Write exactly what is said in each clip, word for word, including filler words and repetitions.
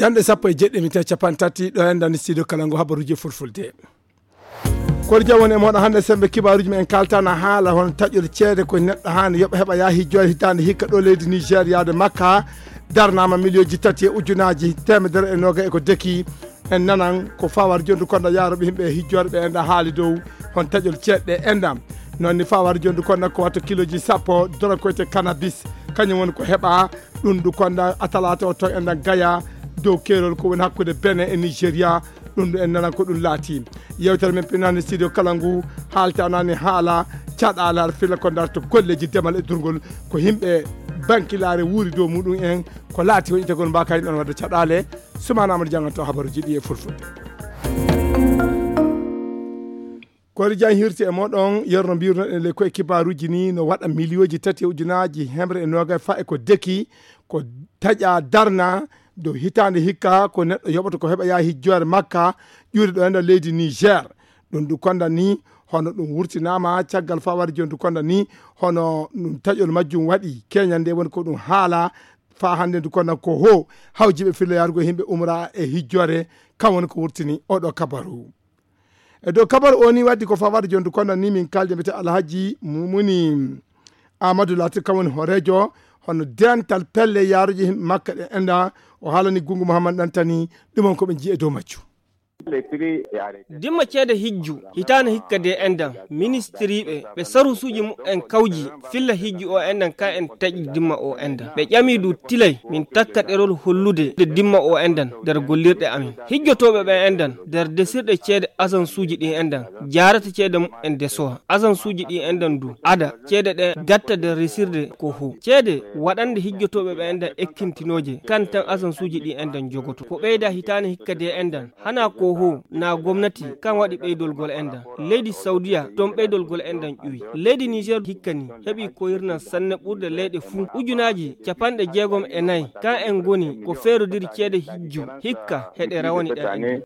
Ende sappo e jeɗɗi minti capanɗe tati ɗo enɗan studio kala ngu habaruji fulfulde. Koɗo jam woni e moɗon hannde sembe kibaruji men kaltana haala hon taƴol ceede ko neɗɗo haani yoɓa heɓa yaa hijjoore hitaande hikka ɗo leydi Niger yaade Makka darnama miliyoji tati e ujunaji temedere e noga e ko deki. En nanan ko fawar jondu konda yaroɓe himɓe e hijjoore ɓe enda haali dow hon taƴol ceeɗe enda. Noon ni fawar jondu konda ko watta kiloji sappo doro koyte cannabis, kañum woni ko heɓa ɗum ndu konda atalata o to enda gaya dow keerol ko woni hakkude Benin e Nigeria. Ɗum ɗo en nanan ko ɗum laati. Yewtere men pinani studio kala ngu haaltanani haala caɗaala har fila ko darto golleji demal e durgol ko himɓe bankilaare wuuri dow muɗum en ko laati woni itagol mbaka en ɗon wadde caɗaale. Sumana Amadou Dianganto habaruji ɗi e fulfulde. Koɗo jan hirti e moɗon yerno mbirnoɗen le koye kibaruji ni no waɗa miliyoji tati e ujunaji hemre e noga fa e ko deki ko taƴa darna dow hitaande hikka ko neɗɗo yoɓata ko heɓa yaa hijjoore makka ƴuuri ɗo enda leydi Niger. Ɗum du konda ni hono ɗum wurtinama caggal fawari jondu konda ni hono ɗum taƴol majjum waɗi keñande woni ko ɗum haala fa hannde ndu konda ko ho hawjiɓe filla yarugo himɓe umra e hijjoore. Kam woni ko wurtini oɗo kabaru. E dow kabaru o ni waddi ko fawade jondu kono ni min kalde mbiyete Alhaji Mumuni Amadou Latir kam woni horejo hono dental pelle yaruji himɓe makka ɗe enda o haalani Gungu Mouhammad Dantani. Ɗum on ko ɓe jiye dow majju. Dimma ceede hijju hitaana hikka de endan ministiriiɓe ɓe sarusuuji muɓɓen kawji filla hijju o endan ka en taƴi dimma o endan ɓe ƴami du tilay min takka ɗerol hollude de dimma o endan nder gollirɗe amin. Hijjotooɓe ɓen endan nder desirɗe ceede asansuuji ɗin endan jaarata ceede muɓɓen desowa asansuuji ɗin endan du ada ceede ɗe gatta nder resirde ko ho ceede waɗande hijjotooɓe ɓen endan ekkintinooje kan tan asansuuji ɗin endan jogoto ko ɓeyda hitaane hikka de endan hana ko ho na gomnati kan waɗi ɓeydolgol endan leydi saudiya ton ɓeydolgol endan ƴuwi leydi niger hikka ni heɓi koyirnan sanne ɓurde leyɗe fuu ujunaaji capanɗe jeegom e nayi kan en ngoni ko feerodiri ceede hijju hikka heɗe rawani ɗen endan.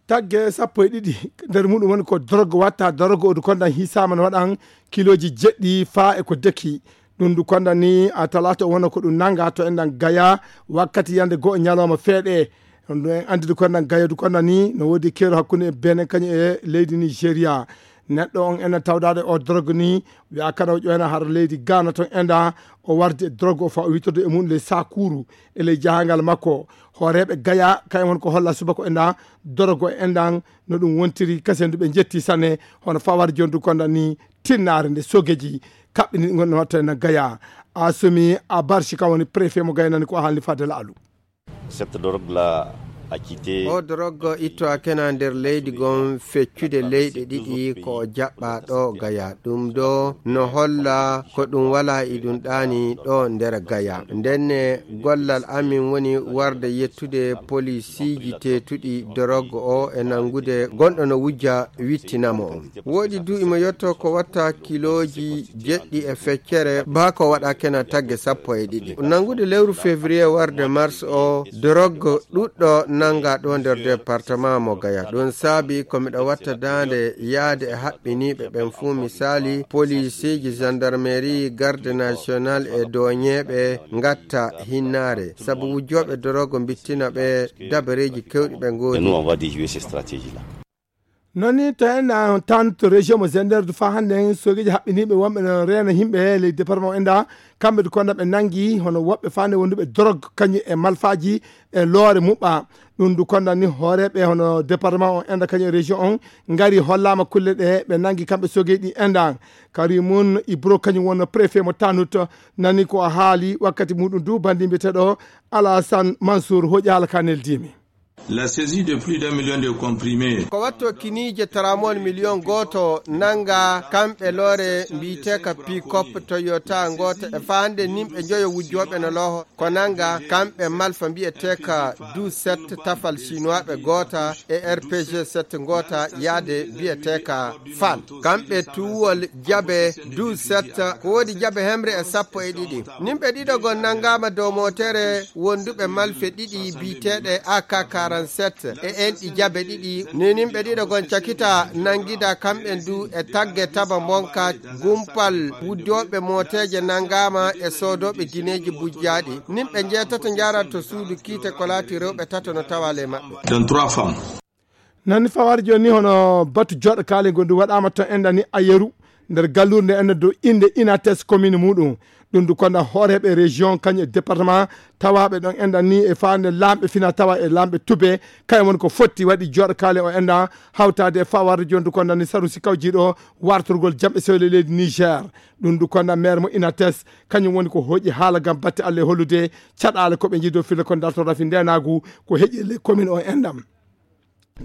Tagge sappo e ɗiɗi nder muɗum woni ko dorogo watta dorogo odu kondan hisama no waɗan kiloji jeɗɗi fa e ko deki. Ɗum du kondan ni a talata wona ko ɗum nanga to enɗan gaya wakkati yande go'o ñalawma feeɗe. Ɗum en andidi kondan gaya du kondan ni no wodi kero hakkunde e benen kañum e leydi nigeria. Neɗɗo on ena tawdaade o drogue ni wiya kala o ƴoyna har leydi Ghana ton enda o wardi e drogue o fa o wittodo e mum ley sakuru e ley jahangal makko. Hooreeɓe gaya kayen won ko holla subako enda drogue o endan no ɗum wontiri kasendu ɓe jetti sanne. Hono fawar jondu konda ni tinnaare nde sogeji kaɓɓini gonno watta ena gaya. A somi a barsi kan woni préfet mo gaynani ko haalni fadde laalu. Cette drogue là a quitté. O drogue itto a kena nder leydi gon feccude leyɗe ɗiɗi ko o jaɓɓa ɗo gaya ɗum ɗo no holla ko ɗum wala e ɗum ɗaani ɗo nder gaya ndenne gollal amin woni warde yettude polisiiji teetuɗi drogue o e nanngude gonɗo no wujja wittinamo on. Woɗi du imo yetto ko watta kiloji jeɗɗi e feccere baa ko waɗa kena tagge sappo e ɗiɗi. Nanngude lewru février warde mars o, drogue ɗuɗɗo nannga ɗo nder département mo Gaya. Ɗum saabi ko miɗo watta daande yaade e haɓɓiniiɓe ɓen fuu, misaali, poliisiiji, gendarmerie, garde national e doñeeɓe ngatta hinnaare. Sabu wujjooɓe drogue mbittina ɓe dabareeji kewɗi ɓe ngoodi. Noon ni tawi en tan to région mo Zender du fa hannde en sogeeji haɓɓiniiɓe wonɓe no reena yimɓe ley département o enda kamɓe du konda ɓe nanngi hono woɓɓe fande wonduɓe drogue kañum e malfaaji e loore muɓɓa. Ɗum du konda ni hooreeɓe hono département o enda kañum e région on ngari hollaama kulle ɗe ɓe nanngi kamɓe sogeeji ɗi enda. Karimun Ibro kañum wonno préfet mo Tanut nani ko o haali wakkati muɗum du banndi mbiyeteeɗo Alassane Mansour hoƴi haala ka neldimi. La saisie de plus d'un million de comprimés. Ko watto kiniije taramol miliyon gooto nannga kamɓe loore mbiyeteeka pikop Toyota ngoota e faande nimɓe njoyo wujjooɓe no looho ko nannga kamɓe malfa mbiyeteeka du sept tafal chinoisɓe goota e rpg sept ngoota yaade mbiyeteeka fal kamɓe tuwol jabe du sept ko woodi jabe hemre e sappo e ɗiɗi. Nimɓe ɗiɗo gon nanngaama dow mootere wonduɓe malfe ɗiɗi biyeteeɗe A K quarante. trente-sept e enɗi jabe ɗiɗi. Ni nimɓe ɗiɗo gon cakita nanngida kamɓen du e tagge taba monka gumpal wuddooɓe mooteeje nanngaama e soodooɓe gineeji bujjaaɗi. Nimɓe njeetato njaarat to suudu kiite ko laati rewɓe tato no tawa ley maɓɓe. Dans trois femmes. Nani fawaade jooni ni hono batu jooɗo kaale ngondu waɗaama toon enɗan ni Ayeru nder gallure nde enɗan dow innde Inates commune muɗum. Ɗum du konda hooreeɓe région kañum e département tawaaɓe ɗon enɗan ni e faande laamɓe fina tawa e laamɓe tube. Kañum woni ko fotti waɗi jooɗo kaale o enɗan hawtaade e fawaade jooni du konda ni saru si kawjiiɗo wartorgol jam e sewle leydi Niger. Ɗum du konda maire mo Inates kañum woni ko hoƴi haala ngam batte Allah e hollude caɗaale ko ɓe njiido fille ko darto rafi ndenaagu ko heƴi e ley commune o enɗan.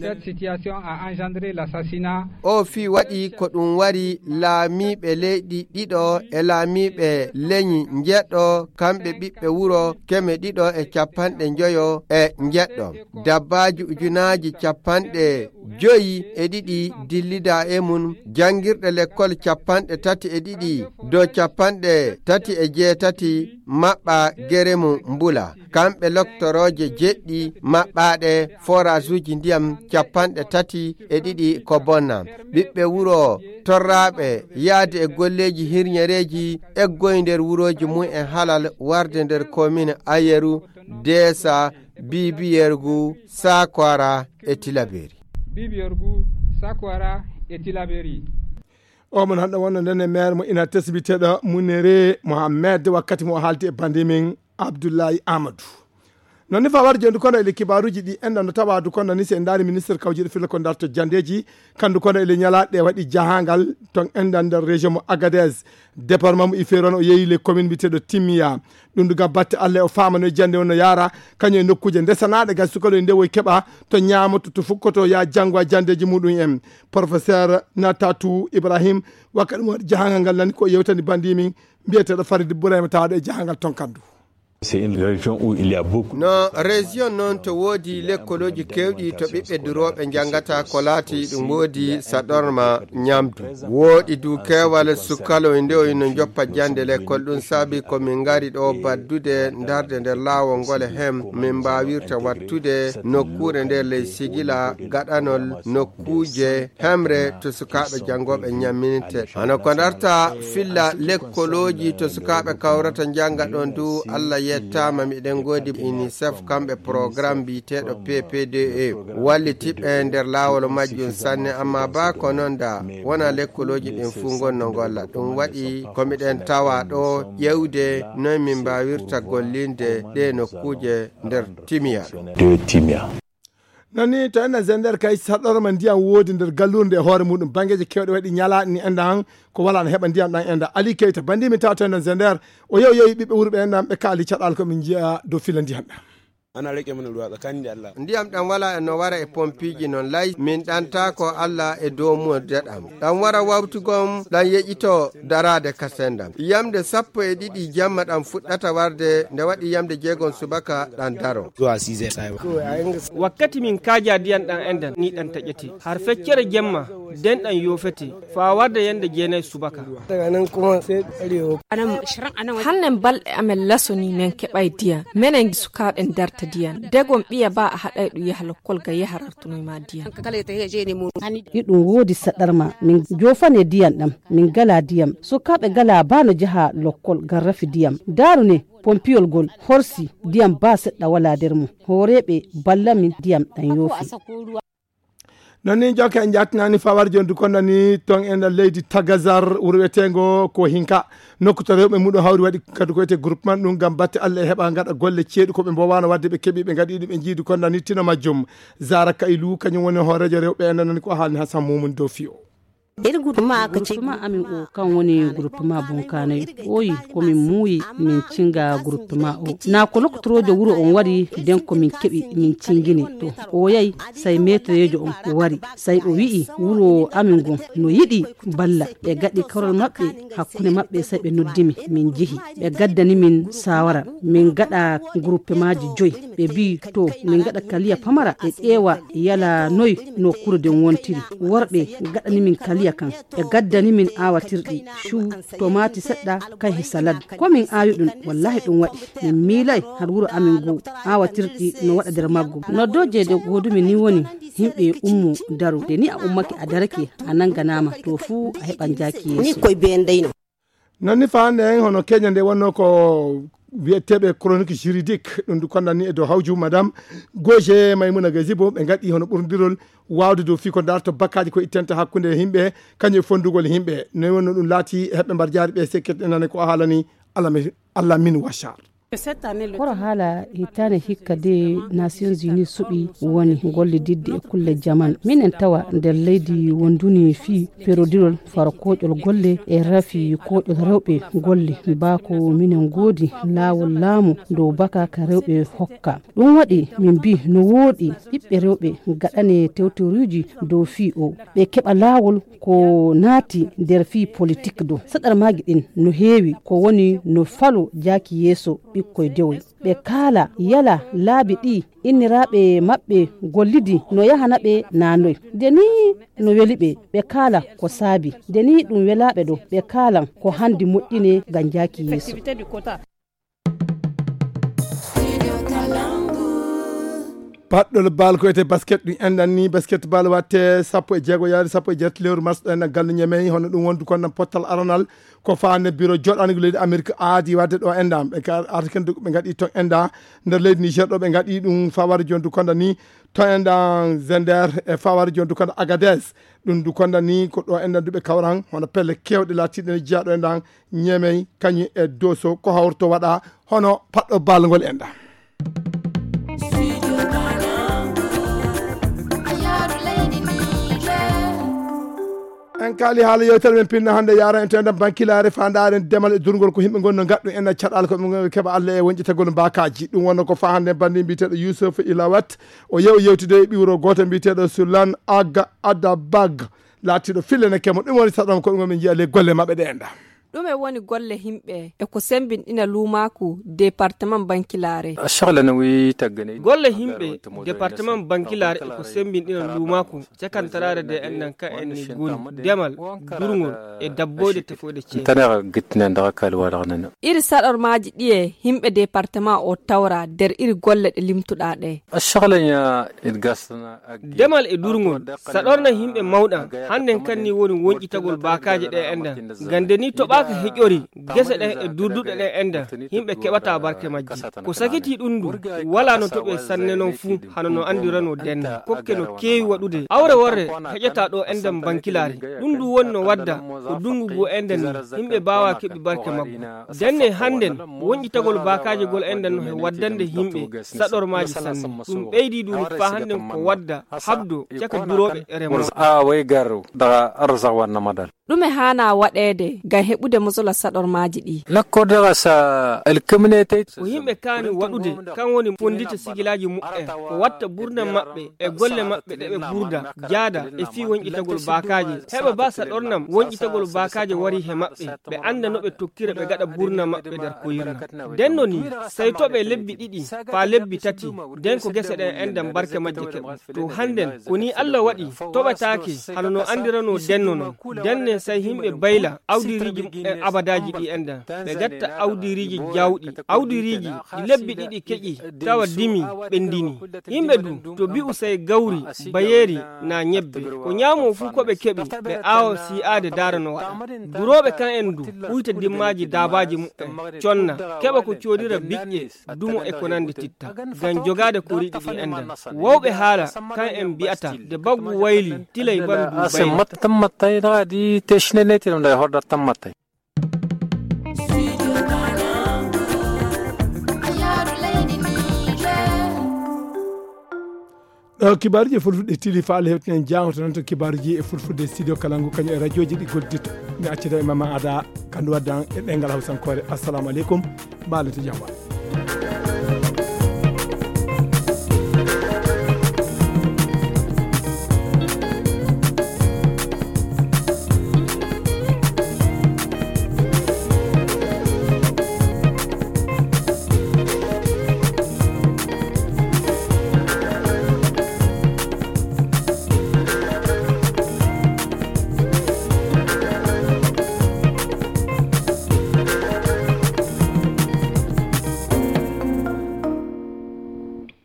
Cette situation a engendré l'assassinat. O fii waɗi ko ɗum wari laamiiɓe leyɗi ɗiɗo e laamiiɓe leñi njeɗɗo, kamɓe ɓiɓɓe wuro keme ɗiɗo e capanɗe njoyo e njeɗɗo. Dabbaaji ujunaaji capanɗe joyi e ɗiɗi dillida e mum, janngirɗe lekkol capanɗe tati e ɗiɗi dow capanɗe tati e jeetati maɓɓa gere mum mbula. Kamɓe loktorooje jeɗɗi maɓɓaaɗe forage uji ndiyam capanɗe tati e ɗiɗi ko bonna. Ɓiɓɓe wuro torraaɓe yaade e golleeji hirñereeji eggoy nder wurooji mum en halal warde nder commune Ayeru, Deesa, Bibiyergu, Sakwara e Tilaberi. Bibiyergu, Sakwara e Tilaberi. O mon hannde wonno nden e maire mo ina tesbiteɗo Munere Mohamed wakkati mo o haalti e bandi min Abdoulaye Amadou. Noon ni fa warde jooni kono ele kibaaruuji ɗi enɗan no tawa du kono ni se en ndaari ministre kawjiiɗo filla ko darto janndeeji kandu kono ele ñalaaɗe waɗi jahangal ton enɗan nder région mo Agadez. Département mo Iferon o yeeyi le commune mbiyeteeɗo Timia. Ɗum du ngam batte Allah o faama no jannde on no yaara kañum e nokkuuje ndesanaaɗe ngam sukaloy ndewoy keɓa to ñaamoto to fukkoto ya janngo a janndeeji muɗum en. Professeur Natatu Ibrahim wakka ɗum waɗi jahangal ngal nani ko yewtani bandi min mbiyeteeɗo Farid Bourayma tawaaɗo e jahangal ton kandu. C'est une région où il y a beaucoup. No région noon to woodi lekkolooji keewɗi to ɓiɓɓe durooɓe njanngata ko laati ɗum woodi saɗorma ñamdu. Wooɗi du keewal sukaloy ndewoy no njoppa jannde lekkol ɗum saabi ko min ngari ɗo baddude ndarde nder laawol ngol e hem min mbaawirta wattude nokkuure nde ley sigila gaɗanol nokkuuje hemre to sukaaɓe janngooɓe ñammininte. Hano ko darta filla lekkolooji to sukaaɓe kawrata njannga ɗon du Allah yettaama miɗen ngoodi UNICEF kamɓe programme mbiyeteeɗo P P D E wallitiɓe nder laawol majjum sanne amma ba ko noon da wona lekkolooji ɗin fuu ngon no ngolla ɗum waɗi ko miɗen tawa ɗo ƴewde noy min mbaawirta gollinde ɗe nokkuuje nder Timiya ɗo. De Timiya. Noon ni to enen Zender kay saɗɗorma ndiyam woodi nder gallurde e hoore muɗum banngeeji keewɗe waɗi ñalaaɗe ni enda han ko wala no heɓa ndiyam ɗam enda Ali Keyta bandi min tawa to enen Zender o yew yewi ɓiɓɓe wuro ɓe enɗan ɓe kaali caɗaal ko min njiya dow fila ndiyam ɗam. Ana rike mana ruwa tsakani da Allah. Ndiyam ɗam wala e no wara e pompiiji noon lay min ɗanta ko Allah e dow muɗum ɗam ɗam wara wawtugom ɗam yeƴito daraade ka sendam yamde sappo e ɗiɗi jamma ɗam fuɗɗata warde nde waɗi yamde jeegom subaka ɗam daro. Wakkati min kaaja diyan ɗan endan ni ɗan taƴete har feccere jemma den ɗan yofete fa warde yande jeenay subaka. Hannen balɗe amen lasoni men keɓay diyan menen sukaaɓe darta diyan degom ɓiya ba a haɗay ɗum yaha lokkol ga yaha rartunoy ma diyan. Iɗum woodi saɗarma min jofane diyan ɗam min gala diyam sukaaɓe gala ba no jaha lokkol garrafi diyam daaru ne pompiyol gol horsi diyam ba seɗɗa wala nder mum hooreeɓe balla min diyam ɗan yoofi. Noon ni jokke en jattinani fawar joni du konda ni ton e nder leydi tagazar wuro wiyetengo ko hinka nokku to rewɓe muɗum hawri waɗi kadi ko wiyete groupement ɗum ngam batte Allah e heɓa gaɗa golle ceeɗu ko ɓe mbowano wadde ɓe keeɓi ɓe gaɗi ɗum ɓe jiidi konda ni tino majjum. Zara Kaylu kañum woni hooreejo rewɓe e nder nani ko haalni Hasan Mumuni dow fiyo. Iri groupement aka ce groupement amin o kan woni groupement bunkanayo oyi ko min muuyi min cinga groupement o na ko lokotorojo wuro on wari den ko min keɓi min cingini to o yayi sai metrejo on wari sai o wi'i wuro amin gon no yiɗi balla ɓe gaɗi karol maɓɓe hakkunde maɓɓe sai ɓe noddimi min jehi ɓe gaddani min sawara min gaɗa groupement ji joyi ɓe mbi to min gaɗa kaliya pamara ɓe ƴeewa yala noy nokkure den wontiri worɓe gaɗani min kaliya Iya kan, ɓe gaddani min aawatirɗi, cuu, tomaati seɗɗa, kay he salad. Ko min aawi ɗum, wallaahi ɗum waɗi. Min miilay har wuro amin nguu, aawatirɗi no waɗa nder maggu. Noddooje ɗe ngoodumi ni woni, yimɓe ummo daro. Nde ni a ummake a darake, a nannganaama, to fuu a heɓan jaaki yeeso. Ni koye bee ndeyno. Non ni faa hannde en hono Keenya nde wonnoo ko wiyeteeɓe chronique juridique, ɗum ndu kondan ni e dow hawju madame Goje Maimouna Gazibo, ɓe ngaɗi hono ɓurndirol waawde dow fii ko darto bakkaaji ko ittanta hakkunde yimɓe, kañum e fonndugol yimɓe. No wonno ɗum laati heɓɓe mbar jaari ɓe sekket enane ko haalani Alamin Wachar. Kono haala hitaande hikka de Nations Unies suɓi woni gollididde e kulle jaman. Minen tawa nder leydi wonduni fii perodirol faro kooƴol golle e rafi kooƴol rewɓe golle. Baa ko minen ngoodi laawol laamu dow baka ka rewɓe hokka. Ɗum waɗi min mbii no wooɗi ɓiɓɓe rewɓe gaɗane tewtoruuji dow fii o. Ɓe keɓa laawol ko naati nder fii politik do. Saɗarmaaji ɗin no heewi ko woni no falo jaaki yeeso ɓikkoy dewoy. Ɓe kaala yala laabi ɗi inniraaɓe maɓɓe gollidi no yahana ɓe naanoy. Nde ni no weli ɓe, ɓe kaala ko saabi. Nde ni ɗum welaaɓe ɗo, ɓe kaalan ko handi moƴƴine ngam jaaki yeeso. Paɗɗol bal ko wiyetee basket ɗum enɗan ni, basket bal watte sappo e jeego yaade sappo e jeetati lewru mars ɗo enɗan galle Ñemey, hono ɗum wondu kon pottal aranal ko faande biro joɗanigo leydi Amerik aadi wadde ɗo enɗan ɓe ka artiken ɓe ngaɗi ton enɗa nder leydi Niger ɗo ɓe ngaɗi ɗum faware jon du konda ni to enɗan Zender e faware jon du konda Agadez. Ɗum du konda ni ko ɗo enɗan duɓe kawran hono pelle kewɗe latiɗe ne jeeya ɗo enɗan Ñemey kañum e Doso ko hawrto waɗa hono paɗɗo bal ngol enɗan. En kaali haala yewtere men pinna hannde yaara en to enɗan bankilaare faandaare demal e durngol ko yimɓe ngonno ngaɗɗu en caɗaal ko ɓe keɓa Allah e wonƴitagol mbaakaaji. Ɗum wonno ko faa hannde banndi mbiyeteeɗo Youssouf Ilawat. O yew yewtude e ɓiwro gooto mbiyeteeɗo Sulan Aga Adabag. Laatiiɗo fillene kemo ɗum woni saɗam ko ɗum min njiya le golle maɓɓe ɗe enɗan. Ɗume woni golle yimɓe e ko sembinɗina luumaaku departement bankilaare? Golle yimɓe departement bankilaare e ko sembinɗina luumaaku cakantaraare de enɗan ka en ni ngoni demal, durngol e dabboyde tefoyde ceede. Iri saɗormaaji ɗiye yimɓe departement o tawra nder iri golle ɗe limtuɗaa ɗe? Demal e durngol saɗorna yimɓe mawɗa. Hannden kan ni woni wonƴitagol baakaaje ɗe enɗan. Ngam nde ni toɓaaka heƴori gese ɗen e durduɗe ɗen enɗan, yimɓe keɓata barke majji. Ko sakitii ɗum ndu, walaa no toɓe sanne non fuu, hano no anndiranoo denno. Kokke no keewi waɗude. Awre worre heƴataa ɗo enɗan bankilaare. Ɗum ndu woni no wadda ko dunngu ngu enɗan ni, yimɓe baawaa keɓi barke maggu. Denne hannden, wonƴitagol baakaaje gol enɗan no he waddande yimɓe saɗormaaji sanne. Ɗum ɓeydii ɗum faa hannden ko wadda habdo caka durooɓe e remooɓe. Ɗume haanaa waɗeede ngam heɓude mosola saɗormaaji ɗi? Ko yimɓe kaani waɗude, kan woni fonndita sigilaaji muɓɓen, ko watta burna maɓɓe e golle maɓɓe ɗe ɓe burda, jaada e fii wonƴitagol baakaaje. Heɓa baa saɗornam wonƴitagol baakaaje wari he maɓɓe, ɓe annda no ɓe tokkira ɓe gaɗa burna maɓɓe nder koyirna. Denno ni, sey toɓe lebbi ɗiɗi faa lebbi tati, nden ko gese ɗen enɗan barke majje keɓa. To hannden, ko nii Allah waɗi, toɓetaake hano no anndiranoo denno non. Denne sey yimɓe bayla awdiriiji muɓɓen abadaaji ɗi enɗan. Ɓe gatta awdiriiji jaawɗi, awdiriiji ɗi lebbi ɗiɗi keƴi, tawa dimi, ɓenndini. Yimɓe du, to bi'u sey gawri, bayeeri, naa ñebbe. Ko ñaamoo fuu ko ɓe keɓi, ɓe aawa sii'aade daara no waɗa. Durooɓe kan en du, ɓuyta dimmaaji daabaaji muɓɓen, conna, keɓa ko coodira biƴƴe, dumo e ko nanndi titta. Ngam jogaade ko riiɗi ɗi enɗan. Wawɓe haala, kan en mbi'ata, nde baggu wayli, tilay bandu bayli. Ɗo kibaaruji e fulfulde tili faale hewtinen jaangoto noon to kibaaruji e fulfulde studio kalangu kañum e radioji ɗi gollidata. Mi accida e mama ada kandu waddan e ɗengal hawsankoore. Assalamu aleykum. Mbaalete jam.